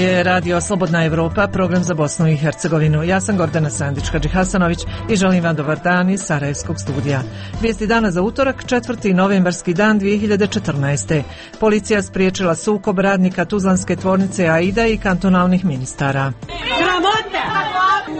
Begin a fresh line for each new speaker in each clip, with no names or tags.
je Radio Slobodna Evropa, program za Bosnu i Hercegovinu. Ja sam Gordana Sandić-Hadžihasanović i želim vam dobar dan iz Sarajevskog studija. Vijesti dana za utorak, 4. novembarski dan 2014. Policija spriječila sukob radnika Tuzlanske tvornice Aida i kantonalnih ministara.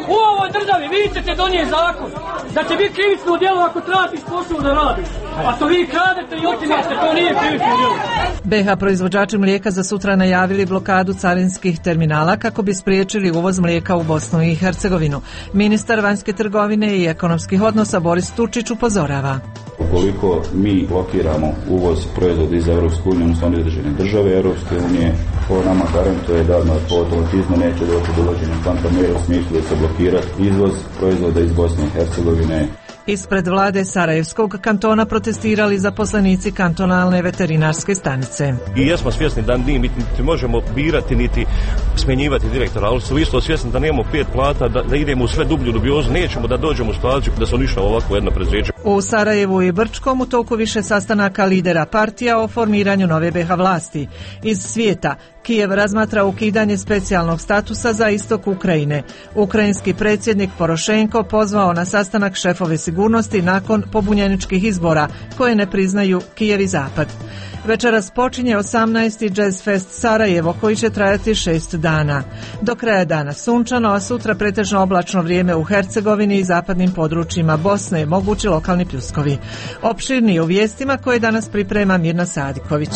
U ovoj državi vi ćete donijeti zakon da će biti krivično djelo ako tratiš posao da radiš. A to vi kradete i otimate, to nije krivično djelo.
BiH proizvođači mlijeka za sutra najavili blokadu carinskih terminala kako bi spriječili uvoz mlijeka u Bosnu i Hercegovinu. Ministar vanjske trgovine i ekonomskih odnosa Boris Tučić upozorava.
Ukoliko mi blokiramo uvoz proizvoda iz Europske unije, odnosno određene države Europske unije, ovo nama garantuje da po automatizmu neće doći do uvođenja kontamera u smislu da se blokira izvoz proizvoda iz Bosne i Hercegovine.
Ispred vlade Sarajevskog kantona protestirali zaposlenici kantonalne veterinarske stanice.
I jesmo svjesni da niti možemo birati niti smjenjivati direktora, ali su isto svjesni da nemamo 5 plata, da idemo u sve dublju dubiozu, nećemo da dođemo u situaciju da se uništava ovako jedno preduzeće.
U Sarajevu i Brčkom u toku više sastanaka lidera partija o formiranju nove BiH vlasti. Iz svijeta Kijev razmatra ukidanje specijalnog statusa za istok Ukrajine. Ukrajinski predsjednik Porošenko pozvao na sastanak šefove sigurnosti nakon pobunjeničkih izbora koje ne priznaju Kijev i Zapad. Večeras počinje 18. Jazz Fest Sarajevo koji će trajati 6 dana. Do kraja dana sunčano, a sutra pretežno oblačno vrijeme u Hercegovini i zapadnim područjima Bosne, mogući lokalni pljuskovi. Opširnije u vijestima koje danas priprema Mirna Sadiković.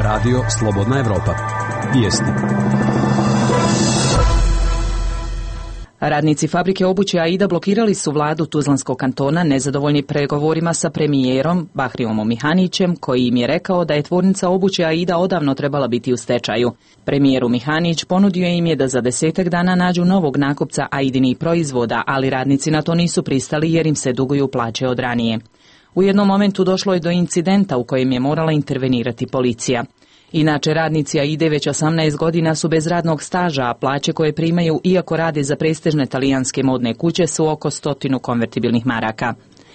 Radio Slobodna Evropa. Vijesti.
Radnici fabrike obuće Aida blokirali su vladu Tuzlanskog kantona nezadovoljni pregovorima sa premijerom Bahriomom Mihanićem, koji im je rekao da je tvornica obuće Aida odavno trebala biti u stečaju. Premijeru Mihanić ponudio im je da za 10 dana nađu novog nakupca Aidinih proizvoda, ali radnici na to nisu pristali jer im se duguju plaće od ranije. U jednom momentu došlo je do incidenta u kojem je morala intervenirati policija. Inače, radnici Aide već 18 godina su bez radnog staža, a plaće koje primaju, iako rade za prestižne talijanske modne kuće, su oko 100 konvertibilnih maraka.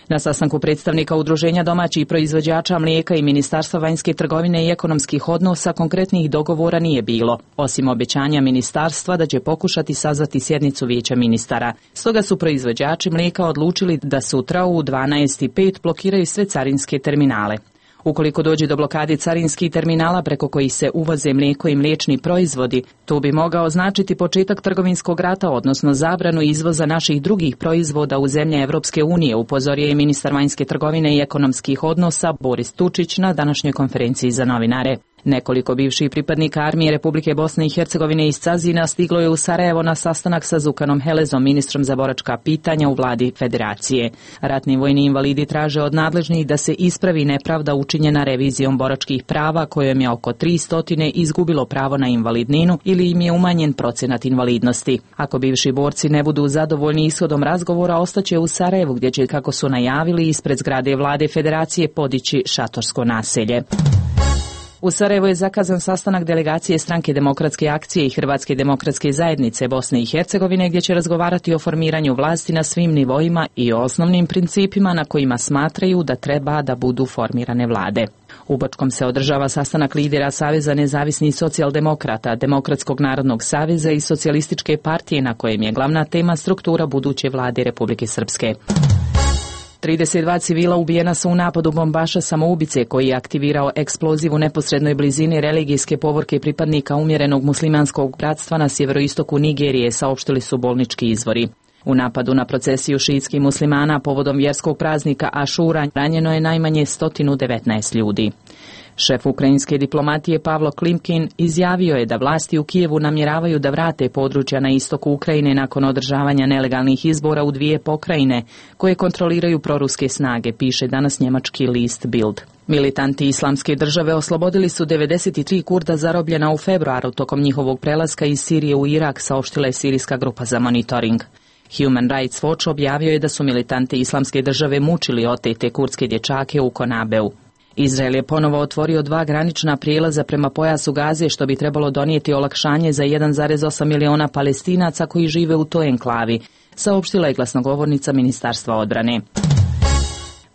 Na sastanku predstavnika Udruženja domaćih proizvođača mlijeka i Ministarstva vanjske trgovine i ekonomskih odnosa konkretnih dogovora nije bilo, osim obećanja ministarstva da će pokušati sazvati sjednicu vijeća ministara. Stoga su proizvođači mlijeka odlučili da sutra u 12:05 blokiraju sve carinske terminale. Ukoliko dođe do blokade carinskih terminala preko kojih se uvoze mlijeko i mliječni proizvodi, to bi mogao značiti početak trgovinskog rata, odnosno zabranu izvoza naših drugih proizvoda u zemlje Evropske unije, upozorio je ministar vanjske trgovine i ekonomskih odnosa Boris Tučić na današnjoj konferenciji za novinare. Nekoliko bivših pripadnika armije Republike Bosne i Hercegovine iz Cazina stiglo je u Sarajevo na sastanak sa Zukanom Helezom, ministrom za boračka pitanja u vladi federacije. Ratni vojni invalidi traže od nadležnih da se ispravi nepravda učinjena revizijom boračkih prava kojom je oko 300 izgubilo pravo na invalidninu ili im je umanjen procenat invalidnosti. Ako bivši borci ne budu zadovoljni ishodom razgovora, ostaće u Sarajevu gdje će, kako su najavili, ispred zgrade vlade federacije podići šatorsko naselje. U Sarajevu je zakazan sastanak delegacije Stranke demokratske akcije i Hrvatske demokratske zajednice Bosne i Hercegovine gdje će razgovarati o formiranju vlasti na svim nivoima i o osnovnim principima na kojima smatraju da treba da budu formirane vlade. U Brčkom se održava sastanak lidera Saveza nezavisnih socijaldemokrata, Demokratskog narodnog saveza i Socijalističke partije na kojem je glavna tema struktura buduće vlade Republike Srpske. 32 civila ubijena su u napadu bombaša samoubice koji je aktivirao eksploziv u neposrednoj blizini religijske povorke pripadnika umjerenog muslimanskog bratstva na sjeveroistoku Nigerije, saopštili su bolnički izvori. U napadu na procesiju šiitskih muslimana povodom vjerskog praznika Ašura ranjeno je najmanje 119 ljudi. Šef ukrajinske diplomatije Pavlo Klimkin izjavio je da vlasti u Kijevu namjeravaju da vrate područja na istoku Ukrajine nakon održavanja nelegalnih izbora u 2 pokrajine koje kontroliraju proruske snage, piše danas njemački list Bild. Militanti Islamske države oslobodili su 93 Kurda zarobljena u februaru tokom njihovog prelaska iz Sirije u Irak, saopštila je sirijska grupa za monitoring. Human Rights Watch objavio je da su militanti Islamske države mučili otete kurdske dječake u Konabeu. Izrael je ponovo otvorio 2 granična prijelaza prema pojasu Gaze, što bi trebalo donijeti olakšanje za 1,8 miliona Palestinaca koji žive u toj enklavi, saopštila je glasnogovornica Ministarstva odbrane.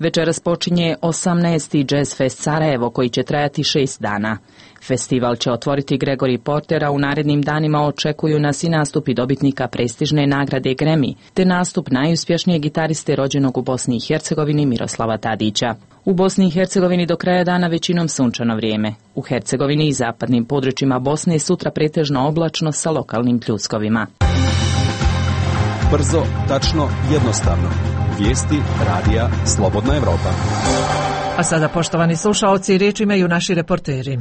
Večeras počinje 18. Jazz Fest Sarajevo koji će trajati 6 dana. Festival će otvoriti Gregory Porter, a u narednim danima očekuju nas i nastupi dobitnika prestižne nagrade Grammy, te nastup najuspješnijeg gitariste rođenog u Bosni i Hercegovini Miroslava Tadića. U Bosni i Hercegovini do kraja dana većinom sunčano vrijeme. U Hercegovini i zapadnim područjima Bosne sutra pretežno oblačno sa lokalnim pljuskovima.
Brzo, tačno, jednostavno. Vijesti radija Slobodna Evropa.
A sada, poštovani slušaoci, riječ imaju naši reporteri.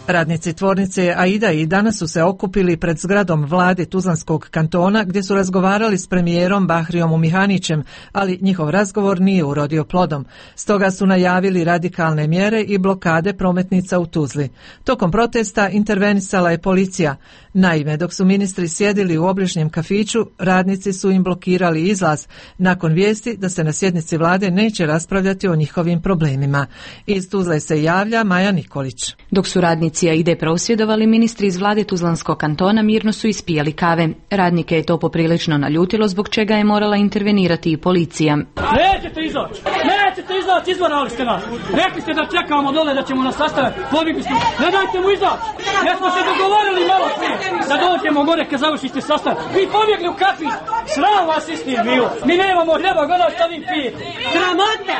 Radnici tvornice Aida i danas su se okupili pred zgradom vlade Tuzlanskog kantona gdje su razgovarali s premijerom Bahrijom Mihanićem, ali njihov razgovor nije urodio plodom. Stoga su najavili radikalne mjere i blokade prometnica u Tuzli. Tokom protesta intervenisala je policija. Naime, dok su ministri sjedili u obližnjem kafiću, radnici su im blokirali izlaz nakon vijesti da se na sjednici vlade neće raspravljati o njihovim problemima. Iz Tuzle se javlja Maja Nikolić.
Dok su radnici Aide prosvjedovali, ministri iz vlade Tuzlanskog kantona mirno su ispijali kave. Radnike je to poprilično naljutilo, zbog čega je morala intervenirati i policija.
Nećete izaći, izvarali ste nas. Rekli ste da čekamo dole, da ćemo nas sastaviti. Pobjegli smo, ne dajte mu izaći. Jer smo se dogovorili malo prije da dođemo gore kad završite sastav. Vi pobjegli u kafić, sram vas istim bilo. Mi nemamo hljeba, gledaj šta vi pijete. Sramota!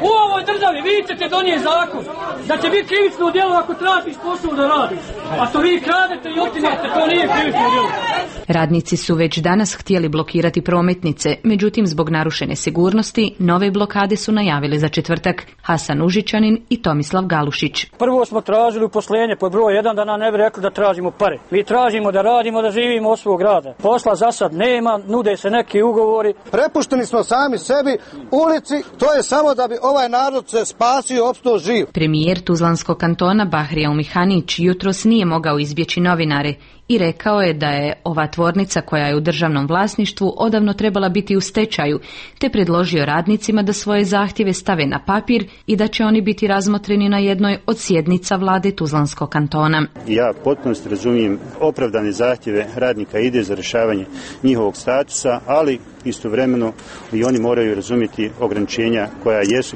U ovoj državi vi ćete donijeti zakon da će biti krivično djelo ako tražiš posao da radiš. A to vi kradete i otimate, to nije krivično djelo.
Radnici su već danas htjeli blokirati prometnice, međutim zbog narušene sigurnosti nove blokade su najavili za četvrtak Hasan Užičanin i Tomislav Galušić.
Prvo smo tražili uposlenje pod broj 1 da nam ne bi rekli da tražimo pare. Mi tražimo da radimo, da živimo od svog rada. Posla za sad nema, nude se neki ugovori.
Prepušteni smo sami sebi, ulici, to je samo da bi ovaj narod se spasio i opstao živ.
Premijer Tuzlanskog kantona Bahrija Mihanić jutros nije mogao izbjeći novinare i rekao je da je ova tvornica koja je u državnom vlasništvu odavno trebala biti u stečaju, te predložio radnicima da svoje zahtjeve stave na papir i da će oni biti razmotreni na jednoj od sjednica vlade Tuzlanskog kantona.
Ja potpuno razumijem opravdane zahtjeve radnika ide za rješavanje njihovog statusa, ali istovremeno i oni moraju razumjeti ograničenja koja jesu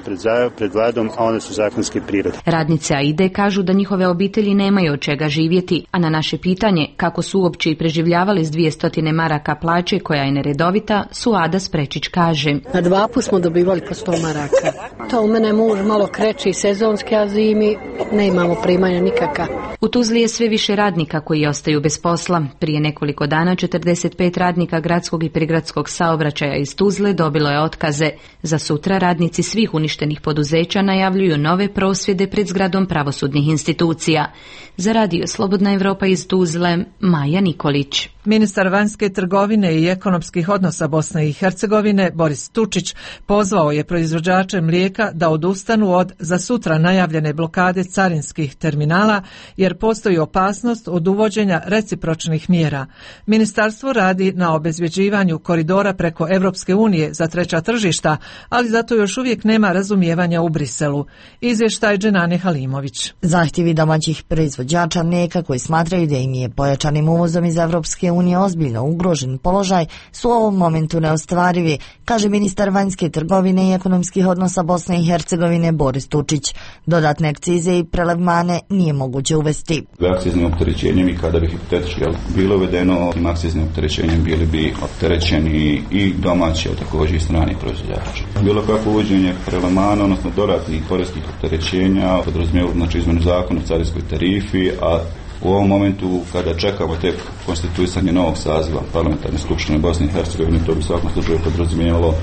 pred vladom, a one su zakonske prirode.
Radnice Aide kažu da njihove obitelji nemaju od čega živjeti, a na naše pitanje kako su uopće i preživljavali s 200 maraka plaće koja je neredovita, Suada Sprečić kaže.
Na 2 puta smo dobivali po 100 maraka. To u mene muž malo kreće sezonski, a zimi ne imamo primanja nikaka.
U Tuzli je sve više radnika koji ostaju bez posla. Prije nekoliko dana 45 radnika gradskog i prigradskog saobraćaja iz Tuzle dobilo je otkaze. Za sutra radnici svih uništenih poduzeća najavljuju nove prosvjede pred zgradom pravosudnih institucija. Za radio Slobodna Evropa iz Tuzle, Maja Nikolić.
Ministar vanjske trgovine i ekonomskih odnosa Bosne i Hercegovine Boris Tučić pozvao je proizvođače mlijeka da odustanu od za sutra najavljene blokade carinskih terminala jer postoji opasnost od uvođenja recipročnih mjera. Ministarstvo radi na obezvjeđivanju koridora preko Evropske unije za treća tržišta, ali zato još uvijek nema razumijevanja u Briselu. Izvještaj Dženane Halimović.
Zahtjevi domaćih proizvođača mlijeka koji smatraju da im je pojačanim uvozom iz Evropske unije ozbiljno ugrožen položaj su u ovom momentu neostvarivi, kaže ministar vanjske trgovine i ekonomskih odnosa Bosne i Hercegovine Boris Tučić. Dodatne akcize i prelevmane nije moguće uvesti.
Akciznim opterećenjem i kada bi hipotetički bilo uvedeno, tim akciznim opterećenjem bili bi opterećeni i domaći, ali također i strani proizvođači. Bilo kako uvođenje prelevmana, odnosno dodatnih poreskih opterećenja, podrazumijeva znači izmjenu zakona o carinskoj tarifi, a u ovom momentu kada čekamo tek konstituisanje novog saziva parlamentarne skupštine Bosne i Hercegovine, to bi svakom slučaju podrazumijevalo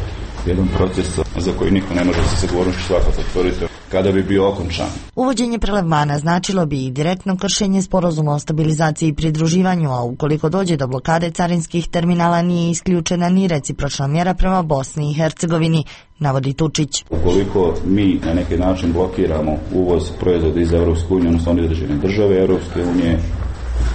jedan proces za koji niko ne može sa sigurnošću svakako tvrditi kada bi bio okončan.
Uvođenje prelevmana značilo bi i direktno kršenje sporazuma o stabilizaciji i pridruživanju, a ukoliko dođe do blokade carinskih terminala nije isključena ni recipročna mjera prema Bosni i Hercegovini, navodi Tučić.
Ukoliko mi na neki način blokiramo uvoz proizvoda iz Evropske unije, odnosno određene države Evropske unije,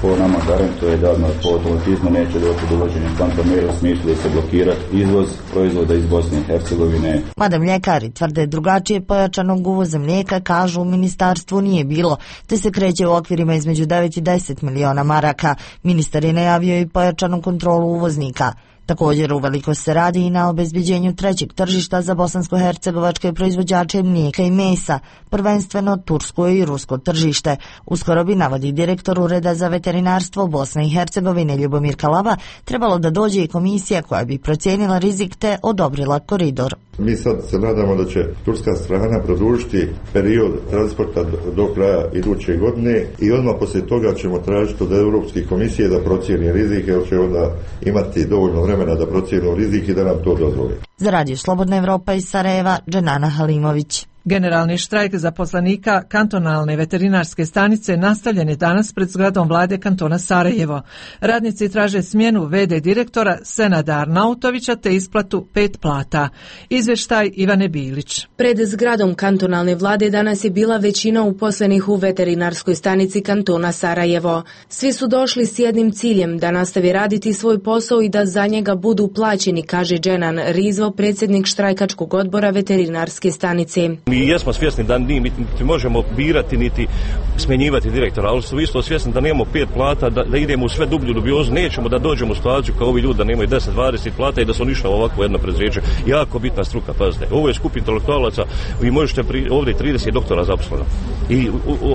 po nama garantuje da po automatizmu neće doći do uvođenja kontamera u smislu da se blokirati izvoz proizvoda iz Bosne i Hercegovine.
Mada mljekari tvrde drugačije, pojačanog uvoza mlijeka, kažu u ministarstvu nije bilo, te se kreće u okvirima između 9 i 10 miliona maraka. Ministar je najavio i pojačanu kontrolu uvoznika. Također uveliko se radi i na obezbeđenju trećeg tržišta za bosansko-hercegovačke proizvođače mlijeka i mesa, prvenstveno tursko i rusko tržište. Uskoro bi, navodi direktor Ureda za veterinarstvo Bosne i Hercegovine Ljubomir Kalava, trebalo da dođe i komisija koja bi procijenila rizik te odobrila koridor.
Mi sad se nadamo da će turska strana produžiti period transporta do kraja iduće godine i odmah poslije toga ćemo tražiti od Europske komisije da procijeni rizik, jer će onda imati dovoljno vremena da procijenu rizik i da nam to dozvoli.
Za Radio Slobodna Evropa iz Sarajeva, Dženana Halimović.
Generalni štrajk zaposlenika kantonalne veterinarske stanice nastavljen je danas pred zgradom vlade kantona Sarajevo. Radnici traže smjenu v.d. direktora Senada Arnautovića te isplatu 5 plata. Izvještaj Ivane Bilić.
Pred zgradom kantonalne vlade danas je bila većina uposlenih u veterinarskoj stanici kantona Sarajevo. Svi su došli s jednim ciljem, da nastavi raditi svoj posao i da za njega budu plaćeni, kaže Dženan Rizvo, predsjednik štrajkačkog odbora veterinarske stanice.
Mi jesmo svjesni da niti možemo birati niti smjenjivati direktora, ali su isto svjesni da nemamo 5 plata, da idemo u sve dublju dubiozu, nećemo da dođemo u situaciju kao ovi ljudi da nemaju 10-20 plata i da su ništa ovako jedno predzijeće. Jako bitna struka, pazite. Ovo je skup intelektualaca, vi možete ovdje 30 doktora zaposleno. I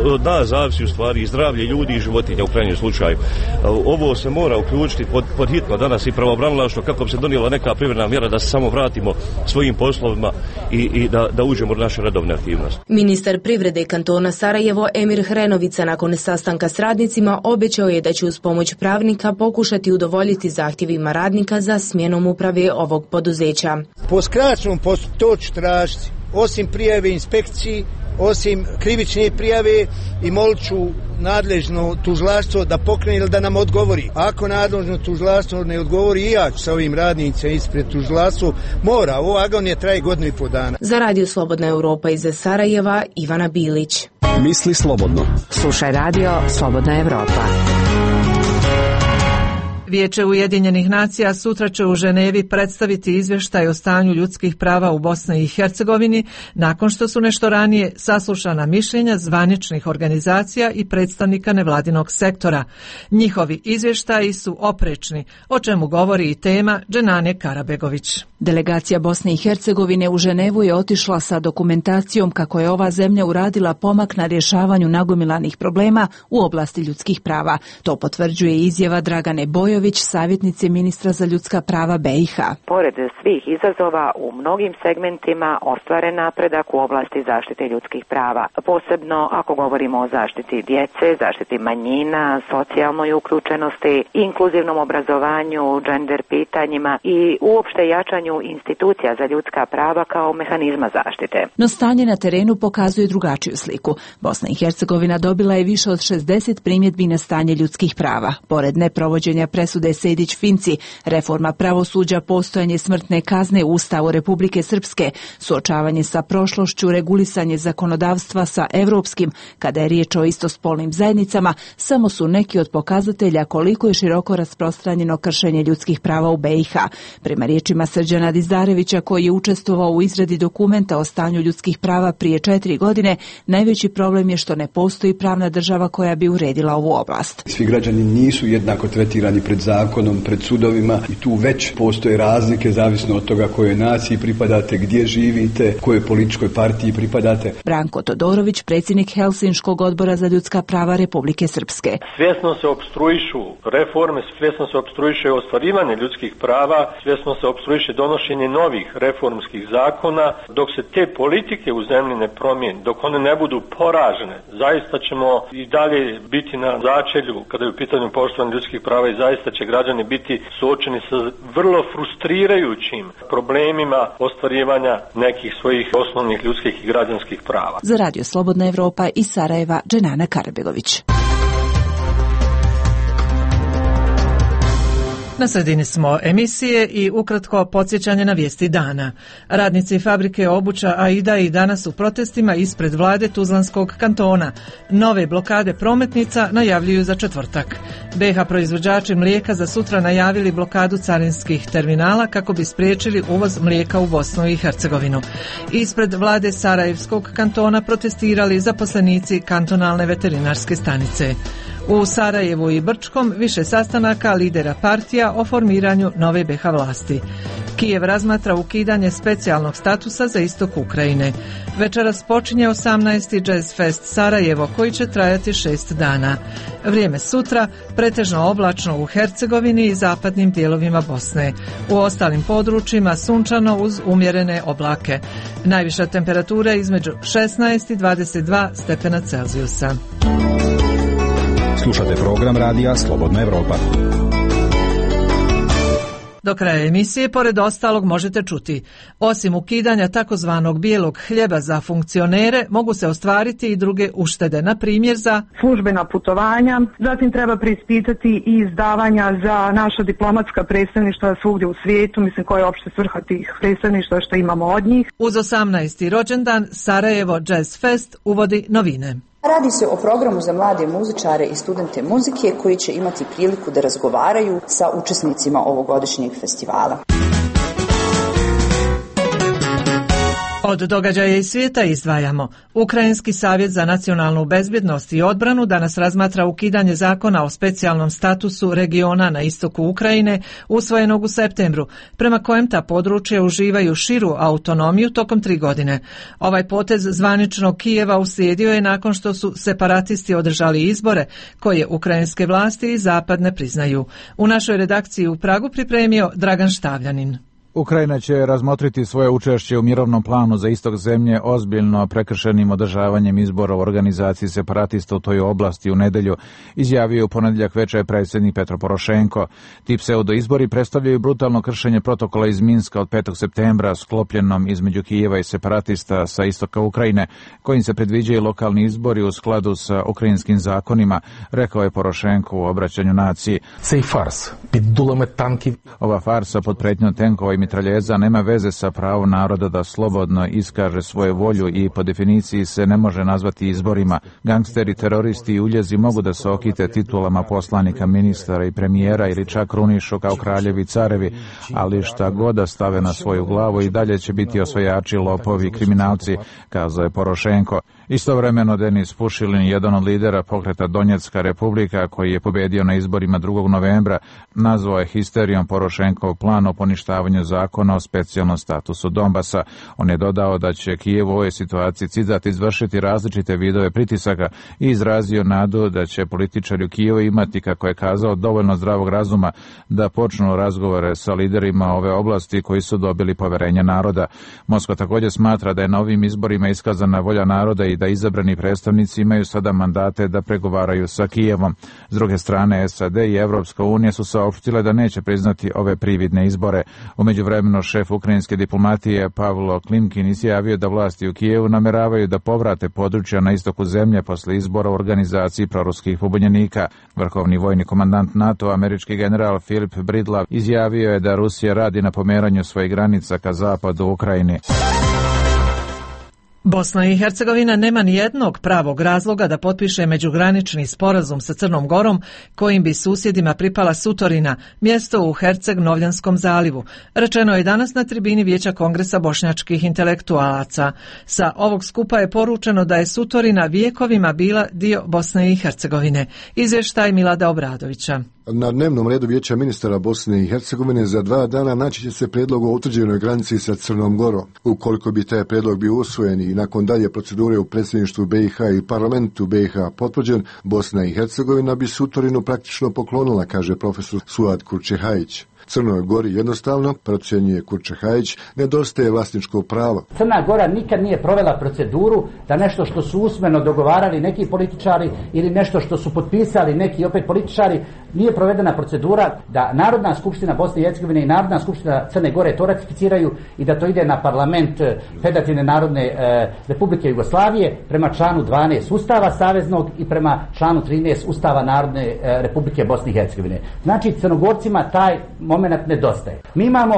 od nas zavisi u stvari i zdravlje ljudi i životinja u krajnjem slučaju. Ovo se mora uključiti pod hitno danas i pravobranilaštvo kako bi se donijela neka privremena mjera da se samo vratimo svojim poslovima i da uđemo u naše redovne aktivnosti.
Ministar privrede kantona Sarajevo Emir Hrenovica nakon sastanka s radnicima obećao je da će uz pomoć pravnika pokušati udovoljiti zahtjevima radnika za smjenom uprave ovog poduzeća.
Po skraćenom postupku to ću tražiti, osim prijave inspekciji, osim krivične prijave, i molit ću nadležno tužilaštvo da pokrene ili da nam odgovori. Ako nadležno tužilaštvo ne odgovori, i ja ću sa ovim radnicima ispred tužilaštva, mora, ovo agonija traje 1,5 dana.
Za Radio Slobodna Evropa iz Sarajeva, Ivana Bilić.
Misli slobodno.
Slušaj Radio Slobodna Evropa.
Vijeće Ujedinjenih nacija sutra će u Ženevi predstaviti izvještaj o stanju ljudskih prava u Bosni i Hercegovini nakon što su nešto ranije saslušana mišljenja zvaničnih organizacija i predstavnika nevladinog sektora. Njihovi izvještaji su oprečni, o čemu govori i tema Dženane Karabegović.
Delegacija Bosne i Hercegovine u Ženevu je otišla sa dokumentacijom kako je ova zemlja uradila pomak na rješavanju nagomilanih problema u oblasti ljudskih prava. To potvrđuje izjava Dragane Bojović, savjetnice ministra za ljudska prava BiH.
Pored svih izazova, u mnogim segmentima ostvaren napredak u oblasti zaštite ljudskih prava. Posebno ako govorimo o zaštiti djece, zaštiti manjina, socijalnoj uključenosti, inkluzivnom obrazovanju, gender pitanjima i uopšte jačanju institucija za ljudska prava kao mehanizma zaštite.
No stanje na terenu pokazuje drugačiju sliku. Bosna i Hercegovina dobila je više od 60 primjedbi na stanje ljudskih prava. Pored neprovođenja presude Sejdić-Finci, reforma pravosuđa, postojanje smrtne kazne u Ustavu Republike Srpske, suočavanje sa prošlošću, regulisanje zakonodavstva sa evropskim, kada je riječ o istospolnim zajednicama, samo su neki od pokazatelja koliko je široko rasprostranjeno kršenje ljudskih prava u BiH. Prema riječima Srđana Dizdarevića, koji je učestvovao u izradi dokumenta o stanju ljudskih prava prije 4 godine, najveći problem je što ne postoji pravna država koja bi uredila ovu oblast.
Svi građani nisu jednako tretirani pred zakonom, pred sudovima i tu već postoje razlike zavisno od toga kojoj naciji pripadate, gdje živite, kojoj političkoj partiji pripadate.
Branko Todorović, predsjednik Helsinškog odbora za ljudska prava Republike Srpske.
Svjesno se opstruišu reforme, svjesno se opstruiše ostvarivanje ljudskih prava, svjesno se opstruiše donošenje novih reformskih zakona. Dok se te politike u zemlji ne promijene, dok one ne budu poražene, zaista ćemo i dalje biti na začelju kada je u pitanju poštovanja ljudskih prava i zaista će građani biti suočeni sa vrlo frustrirajućim problemima ostvarivanja nekih svojih osnovnih ljudskih i građanskih prava.
Za Radio Slobodna Evropa iz Sarajeva, Dženana Karabegović.
Na sredini smo emisije i ukratko podsjećanje na vijesti dana. Radnici fabrike obuća Aida i danas u protestima ispred vlade Tuzlanskog kantona. Nove blokade prometnica najavljuju za četvrtak. BiH proizvođači mlijeka za sutra najavili blokadu carinskih terminala kako bi spriječili uvoz mlijeka u Bosnu i Hercegovinu. Ispred vlade Sarajevskog kantona protestirali zaposlenici kantonalne veterinarske stanice. U Sarajevu i Brčkom više sastanaka lidera partija o formiranju nove BiH vlasti. Kijev razmatra ukidanje specijalnog statusa za istok Ukrajine. Večeras počinje 18. Jazz Fest Sarajevo koji će trajati 6 dana. Vrijeme sutra pretežno oblačno u Hercegovini i zapadnim dijelovima Bosne. U ostalim područjima sunčano uz umjerene oblake. Najviša temperatura između 16 i 22 stepena Celzijusa.
Slušate program radija Slobodna Evropa.
Do kraja emisije, pored ostalog, možete čuti: osim ukidanja takozvanog bijelog hljeba za funkcionere, mogu se ostvariti i druge uštede, na primjer za
službena putovanja, zatim treba preispitati i izdavanja za naša diplomatska predstavništva svugdje u svijetu, mislim koja je opšte svrha tih predstavništva što imamo od njih.
Uz 18. rođendan Sarajevo Jazz Fest uvodi novine.
Radi se o programu za mlade muzičare i studente muzike koji će imati priliku da razgovaraju sa učesnicima ovogodišnjeg festivala.
Od događaja iz svijeta izdvajamo: Ukrajinski savjet za nacionalnu bezbjednost i odbranu danas razmatra ukidanje zakona o specijalnom statusu regiona na istoku Ukrajine usvojenog u septembru, prema kojem ta područja uživaju širu autonomiju tokom 3 godine. Ovaj potez zvaničnog Kijeva uslijedio je nakon što su separatisti održali izbore koje ukrajinske vlasti i zapad ne priznaju. U našoj redakciji u Pragu pripremio Dragan Štavljanin.
Ukrajina će razmotriti svoje učešće u mirovnom planu za istok zemlje ozbiljno prekršenim održavanjem izbora u organizaciji separatista u toj oblasti u nedjelju, izjavio u ponedjeljak večer predsjednik Petro Porošenko. Ti pseudoizbori predstavljaju brutalno kršenje protokola iz Minska od 5. septembra sklopljenom između Kijeva i separatista sa istoka Ukrajine, kojim se predviđaju lokalni izbori u skladu sa ukrajinskim zakonima, rekao je Porošenko u obraćanju naciji. Ova farsa pod pretnjom tenkova i mitraljeza nema veze sa pravom naroda da slobodno iskaže svoju volju i po definiciji se ne može nazvati izborima. Gangsteri, teroristi i uljezi mogu da se okite titulama poslanika, ministara i premijera ili čak krunišu kao kraljevi i carevi, ali šta god da stave na svoju glavu i dalje će biti osvajači, lopovi i kriminalci, kazao je Porošenko. Istovremeno Denis Pušilin, jedan od lidera pokreta Donjecka republika koji je pobedio na izborima 2. novembra, nazvao je histerijom Porošenkov plan o poništavanju zakona o specijalnom statusu Donbasa. On je dodao da će Kijev u ovoj situaciji citat izvršiti različite vidove pritisaka i izrazio nadu da će političari u Kijevu imati, kako je kazao, dovoljno zdravog razuma da počnu razgovore sa liderima ove oblasti koji su dobili poverenje naroda. Moskva također smatra da je na ovim izborima iskazana volja naroda i da izabrani predstavnici imaju sada mandate da pregovaraju sa Kijevom. S druge strane, SAD i Evropska unija su saopštile da neće priznati ove prividne izbore. U međuvremenu šef ukrajinske diplomatije Pavlo Klimkin izjavio da vlasti u Kijevu nameravaju da povrate područja na istoku zemlje posle izbora u organizaciji proruskih pobunjenika. Vrhovni vojni komandant NATO, američki general Philip Bridlav, izjavio je da Rusija radi na pomeranju svojih granica ka zapadu Ukrajini.
Bosna i Hercegovina nema ni jednog pravog razloga da potpiše međugranični sporazum sa Crnom Gorom kojim bi susjedima pripala Sutorina, mjesto u Herceg-Novljanskom zalivu. Rečeno je danas na tribini Vijeća Kongresa bošnjačkih intelektualaca. Sa ovog skupa je poručeno da je Sutorina vijekovima bila dio Bosne i Hercegovine. Izvještaj Milada Obradovića.
Na dnevnom redu Vijeća ministara Bosne i Hercegovine za 2 dana naći će se prijedlog o utvrđenoj granici sa Crnom Gorom. Ukoliko bi taj prijedlog bio usvojen i nakon dalje procedure u predsjedništvu BiH i parlamentu BiH potvrđen, Bosna i Hercegovina bi Sutorinu praktično poklonila, kaže profesor Suad Kurčehajić. Crnoj Gori jednostavno, procjenjuje Kurčehajić, nedostaje vlasničko pravo.
Crna Gora nikad nije provela proceduru da nešto što su usmeno dogovarali neki političari ili nešto što su potpisali neki opet političari, nije provedena procedura da Narodna skupština Bosne i Hercegovine i Narodna skupština Crne Gore to ratificiraju i da to ide na parlament Federativne narodne Republike Jugoslavije prema članu 12 Ustava Saveznog i prema članu 13 Ustava Narodne Republike Bosne i Hercegovine. Znači, Crnogorcima taj moment nedostaje. Mi imamo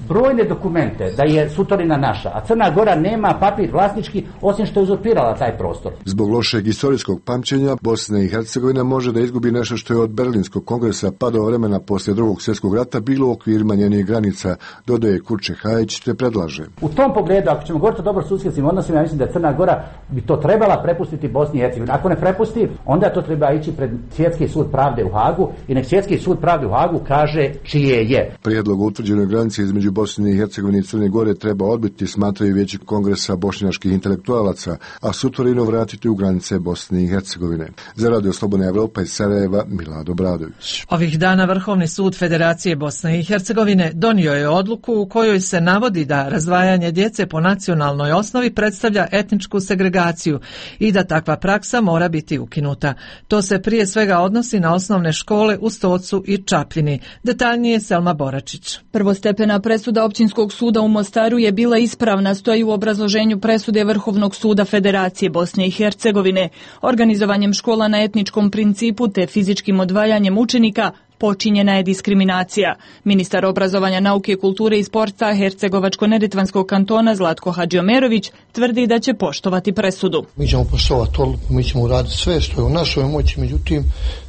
brojne dokumente da je Sutorina naša, a Crna Gora nema papir vlasnički osim što je uzurpirala taj prostor.
Zbog lošeg historijskog pamćenja Bosna i Hercegovina može da izgubi nešto što je od Berlinskog kongresa pa do vremena poslije Drugog svjetskog rata bilo u okvirima njenih granica, dodaje Kurče Hajić te predlaže.
U tom pogledu, ako ćemo govoriti o dobrosusjedskim odnosima, ja mislim da Crna Gora bi to trebala prepustiti Bosni i Hercegovini. Ako ne prepusti, onda to treba ići pred Svjetski sud pravde u Hagu i nek Svjetski sud pravde u Hagu kaže čije je.
Prijedlog o utvrđenoj granici između Bosne i Hercegovine i Crne Gore treba odbiti, smatraju vijeći kongresa bošnjačkih intelektualaca, a Sutorinu vratiti u granice Bosne i Hercegovine. Za Radio Slobodna Evropa iz Sarajeva, Milado Bradović.
Ovih dana Vrhovni sud Federacije Bosne i Hercegovine donio je odluku u kojoj se navodi da razdvajanje djece po nacionalnoj osnovi predstavlja etničku segregaciju i da takva praksa mora biti ukinuta. To se prije svega odnosi na osnovne škole u Stocu i Čapljini. Detaljnije Selma Boračić.
Prvostepena presuda Općinskog suda u Mostaru je bila ispravna, stoji u obrazloženju presude Vrhovnog suda Federacije Bosne i Hercegovine. Organizovanjem škola na etničkom principu te fizičkim odvajanjem učenika počinjena je diskriminacija. Ministar obrazovanja, nauke, kulture i sporta Hercegovačko-neretvanskog kantona Zlatko Hadžiomerović tvrdi da će poštovati presudu.
Mi ćemo poštovati odluku, mi ćemo uraditi sve što je u našoj moći, međutim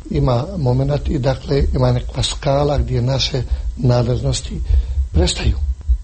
ima moment i dakle ima nekakva skala gdje naše nadležnosti prestaju.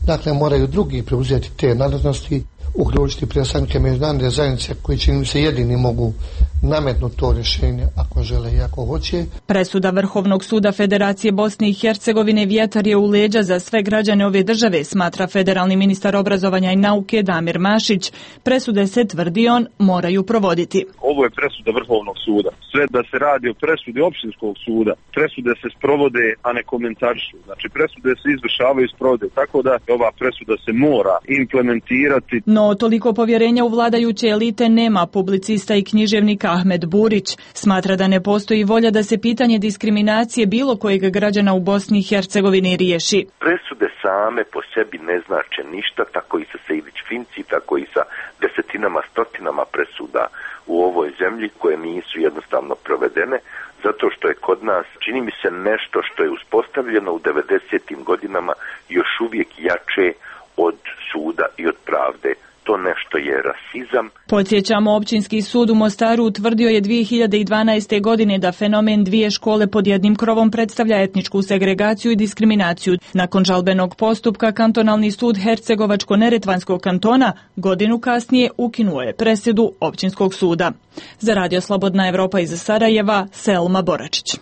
Dakle, moraju drugi preuzeti te nadležnosti, uključiti predstavnike međunarodne zajednice koji čini se jedini mogu nametnuti to rješenje ako žele i ako hoće.
Presuda Vrhovnog suda Federacije Bosne i Hercegovine vjetar je u leđa za sve građane ove države, smatra federalni ministar obrazovanja i nauke Damir Mašić. Presude se, tvrdi on, moraju provoditi.
Ovo je presuda Vrhovnog suda. Sve da se radi o presudi Općinskog suda, presude se sprovode, a ne komentarišu. Znači presude se izvršavaju i sprovode, tako da ova presuda se mora implementirati.
No, toliko povjerenja u vladajuće elite nema publicista i književnik Ahmed Burić. Smatra da ne postoji volja da se pitanje diskriminacije bilo kojeg građana u Bosni i Hercegovini riješi.
Presude same po sebi ne znače ništa, tako i sa Sejdić-Finci, tako i sa desetinama, stotinama presuda u ovoj zemlji koje nisu jednostavno provedene, zato što je kod nas, čini mi se, nešto što je uspostavljeno u 90. godinama još uvijek jače od suda i od pravde. To nešto je rasizam.
Podsjećamo, Općinski sud u Mostaru utvrdio je 2012. godine da fenomen dvije škole pod jednim krovom predstavlja etničku segregaciju i diskriminaciju. Nakon žalbenog postupka, kantonalni sud Hercegovačko-neretvanskog kantona godinu kasnije ukinuo je presudu Općinskog suda. Za Radio Slobodna Evropa iz Sarajeva, Selma Boračić.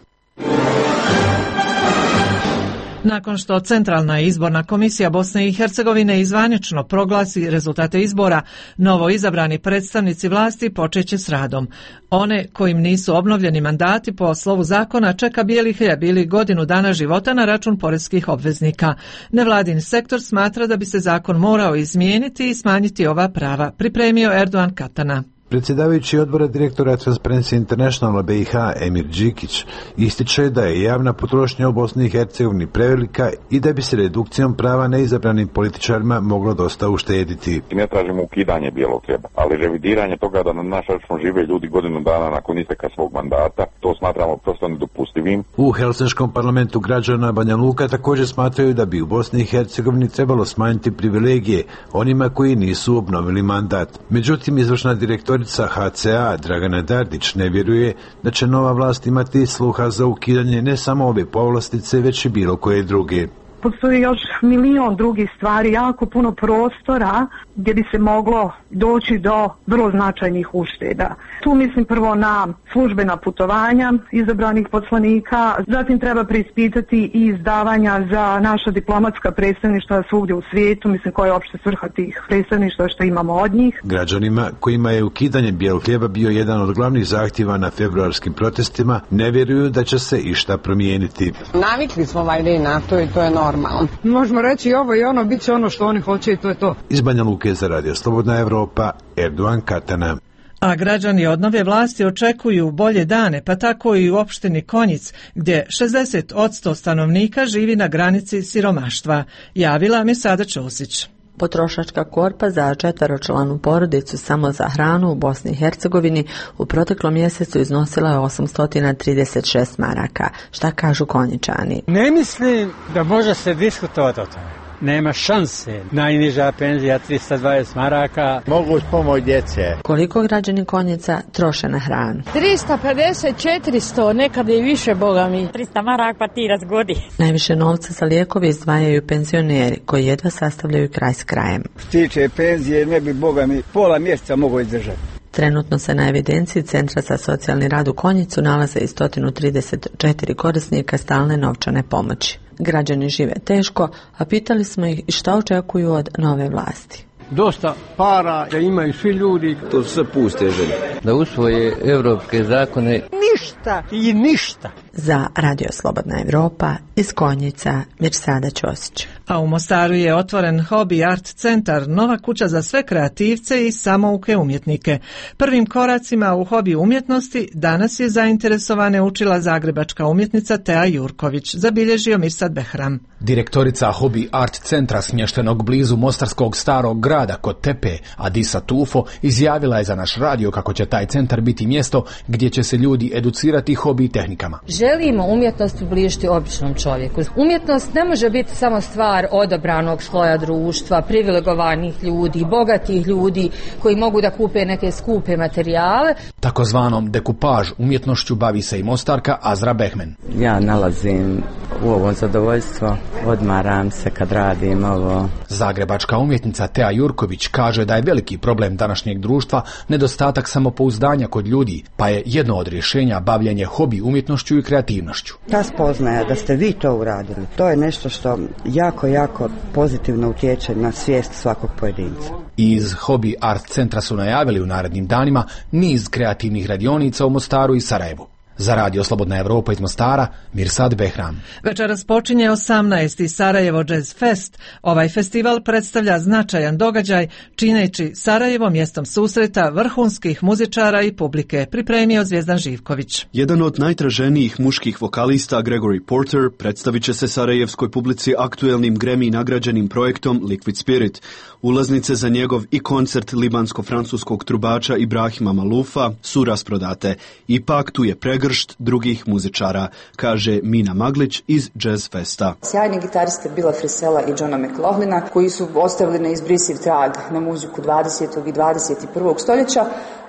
Nakon što Centralna izborna komisija Bosne i Hercegovine zvanično proglasi rezultate izbora, novo izabrani predstavnici vlasti počeće s radom. One kojim nisu obnovljeni mandati po slovu zakona čeka bijeli hljeb ili godinu dana života na račun poreskih obveznika. Nevladin sektor smatra da bi se zakon morao izmijeniti i smanjiti ova prava, pripremio Erdogan Katana.
Predsjedavajući odbora direktora Transparency Internationala BiH Emir Đikić ističe da je javna potrošnja u Bosni i Hercegovini prevelika i da bi se redukcijom prava neizabranim političarima moglo dosta uštediti.
Ne tražimo ukidanje bijelog hljeba, ali revidiranje toga da na naš račun žive ljudi godinu dana nakon isteka svog mandata, to smatramo prosto nedopustivim.
U Helsinškom parlamentu građana Banja Luka također smatraju da bi u Bosni i Hercegovini trebalo smanjiti privilegije onima koji nisu obnovili mandat. Međutim, izvršna direktorica HCA Dragana Dardić ne vjeruje da će nova vlast imati sluha za ukidanje ne samo ove povlastice, već i bilo koje druge.
Postoji još milion drugih stvari, jako puno prostora gdje bi se moglo doći do vrlo značajnih ušteda. Tu mislim prvo na službena putovanja izabranih poslanika, zatim treba preispitati i izdavanja za naša diplomatska predstavništva svugdje u svijetu, mislim koja je opšte svrha tih predstavništva što imamo od njih.
Građanima kojima je ukidanje bijelog hljeba bio jedan od glavnih zahtjeva na februarskim protestima, ne vjeruju da će se išta promijeniti.
Navikli smo valjda na to i to je normalno. Možemo reći ovo i ono, bit će ono što oni hoće i to je to.
Iz Banja Luke za Radio Slobodna Evropa, Erdogan Katana.
A građani od nove vlasti očekuju bolje dane, pa tako i u opštini Konjic, gdje 60% stanovnika živi na granici siromaštva. Javila Misada Ćosić.
Potrošačka korpa za 4-članu porodicu samo za hranu u Bosni i Hercegovini u proteklom mjesecu iznosila je 836 maraka. Šta kažu Konjičani?
Ne mislim da može se diskutovati o tome. Nema šanse. Najniža penzija 320 maraka.
Mogu uz pomoć djece.
Koliko građani Konjica troše na hranu?
350, 400, nekad i više, boga mi. 300 maraka pa ti razgodi.
Najviše novca za lijekove izdvajaju penzioneri koji jedva sastavljaju kraj s krajem.
Što tiče penzije, ne bi boga mi pola mjeseca mogao izdržati.
Trenutno se na evidenciji Centra za socijalni rad u Konjicu nalaze i 134 korisnika stalne novčane pomoći. Građani žive teško, a pitali smo ih šta očekuju od nove vlasti.
Dosta para da imaju svi ljudi.
To su sve puste želje. Da usvoje evropske zakone.
Ništa i ništa.
Za Radio Slobodna Evropa iz Konjica, Mirsada Ćosić.
A u Mostaru je otvoren Hobby Art centar, nova kuća za sve kreativce i samouke umjetnike. Prvim koracima u hobi umjetnosti danas je zainteresovane učila zagrebačka umjetnica Tea Jurković, zabilježio Mirsad Behram.
Direktorica Hobby Art centra smještenog blizu mostarskog starog grada kod Tepe, Adisa Tufo, izjavila je za naš radio kako će taj centar biti mjesto gdje će se ljudi educirati hobi tehnikama.
Želimo umjetnost približiti običnom čovjeku. Umjetnost ne može biti samo stvar odabranog sloja društva, privilegovanih ljudi, bogatih ljudi koji mogu da kupe neke skupe materijale.
Takozvanom dekupaž umjetnošću bavi se i Mostarka Azra Behmen.
Ja nalazim u ovo zadovoljstvo, odmaram se kad radim ovo.
Zagrebačka umjetnica Tea Jurković kaže da je veliki problem današnjeg društva nedostatak samopouzdanja kod ljudi, pa je jedno od rješenja bavljenje hobi umjetnošću i kreativnošću.
Ta spoznaja da ste vi to uradili, to je nešto što jako pozitivno utječe na svijest svakog pojedinca.
Iz Hobby Art centra su najavili u narednim danima niz kreativnih radionica u Mostaru i Sarajevu. Za Radio Slobodna Evropa iz Mostara, Mirsad Behram.
Večeras počinje 18. Sarajevo Jazz Fest. Ovaj festival predstavlja značajan događaj, čineći Sarajevo mjestom susreta vrhunskih muzičara i publike, pripremio Zvijezdan Živković.
Jedan od najtraženijih muških vokalista, Gregory Porter, predstavit će se sarajevskoj publici aktuelnim Grammy nagrađenim projektom Liquid Spirit. Ulaznice za njegov i koncert libansko-francuskog trubača Ibrahima Malufa su rasprodate. Ipak tu je pregršt drugih muzičara, kaže Mina Maglić iz Jazz Festa.
Sjajni gitariste Billa Frisella i Johna McLaughlina, koji su ostavili neizbrisiv trag na muziku 20. i 21. stoljeća,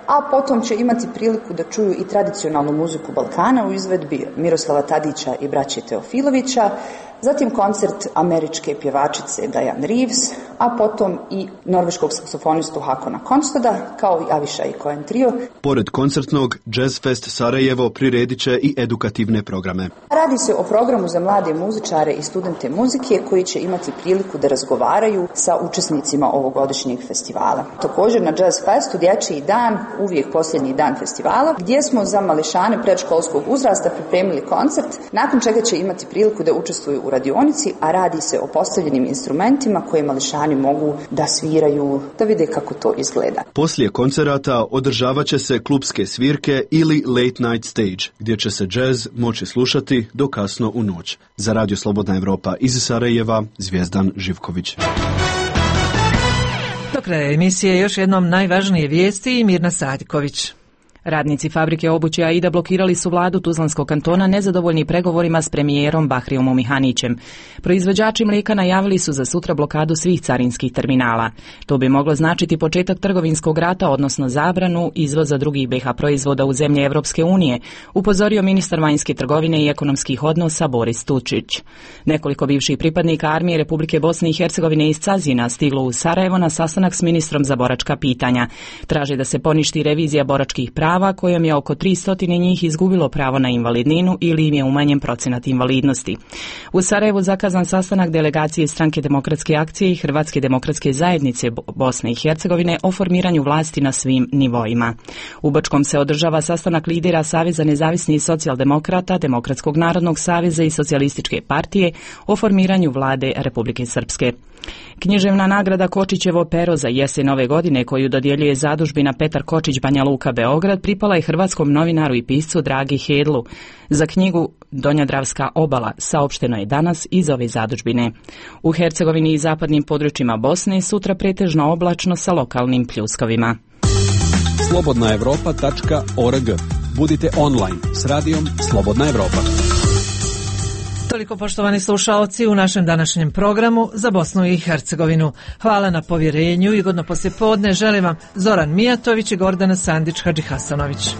a potom će imati priliku da čuju i tradicionalnu muziku Balkana u izvedbi Miroslava Tadića i braće Teofilovića, zatim koncert američke pjevačice Diane Reeves, a potom i norveškog saksofonistu Hakona Konstada, kao i Avishai Cohen Trio.
Pored koncertnog, Jazz Fest Sarajevo priredit će i edukativne programe.
Radi se o programu za mlade muzičare i studente muzike koji će imati priliku da razgovaraju sa učesnicima ovogodišnjeg festivala. Također na Jazz Festu dječji dan, uvijek posljednji dan festivala, gdje smo za mališane predškolskog uzrasta pripremili koncert, nakon čega će imati priliku da učestvuju u radionici, a radi se o postavljenim instrumentima koje mališani mogu da sviraju, da vide kako to izgleda.
Poslije koncerata održavat će se klubske svirke ili late night stage, gdje će se džez moći slušati do kasno u noć. Za Radio Slobodna Evropa iz Sarajeva, Zvijezdan Živković.
Do kraja emisije još jednom najvažnije vijesti i Mirna Sadiković.
Radnici fabrike obuće Aida blokirali su vladu Tuzlanskog kantona nezadovoljni pregovorima s premijerom Bahriomom Mihanićem. Proizvođači mlijeka najavili su za sutra blokadu svih carinskih terminala. To bi moglo značiti početak trgovinskog rata, odnosno zabranu izvoza drugih BiH proizvoda u zemlje Evropske unije, upozorio ministar vanjske trgovine i ekonomskih odnosa Boris Tučić. Nekoliko bivših pripadnika armije Republike Bosne i Hercegovine iz Cazina stiglo u Sarajevo na sastanak s ministrom za boračka pitanja. Traže da se poništi revizija boračkih prava kojom je oko 300 njih izgubilo pravo na invalidninu ili im je umanjen procenat invalidnosti. U Sarajevu zakazan sastanak delegacije Stranke demokratske akcije i Hrvatske demokratske zajednice Bosne i Hercegovine o formiranju vlasti na svim nivoima. U Bačkom se održava sastanak lidera Saveza nezavisnih socijaldemokrata, Demokratskog narodnog saveza i Socijalističke partije o formiranju vlade Republike Srpske. Književna nagrada Kočićevo pero za jesen ove godine, koju dodjeljuje zadužbina Petar Kočić Banja Luka Beograd, pripala je hrvatskom novinaru i piscu Dragi Hedlu. Za knjigu Donjadravska obala saopšteno je danas iz ove zadužbine. U Hercegovini i zapadnim područjima Bosne sutra pretežno oblačno sa lokalnim pljuskovima.
slobodnaevropa.org. Budite online s radijom Slobodna Evropa.
Toliko, poštovani slušaoci, u našem današnjem programu za Bosnu i Hercegovinu. Hvala na povjerenju i godno poslijepodne želim vam Zoran Mijatović i Gordana Sandić Hadžihasanović.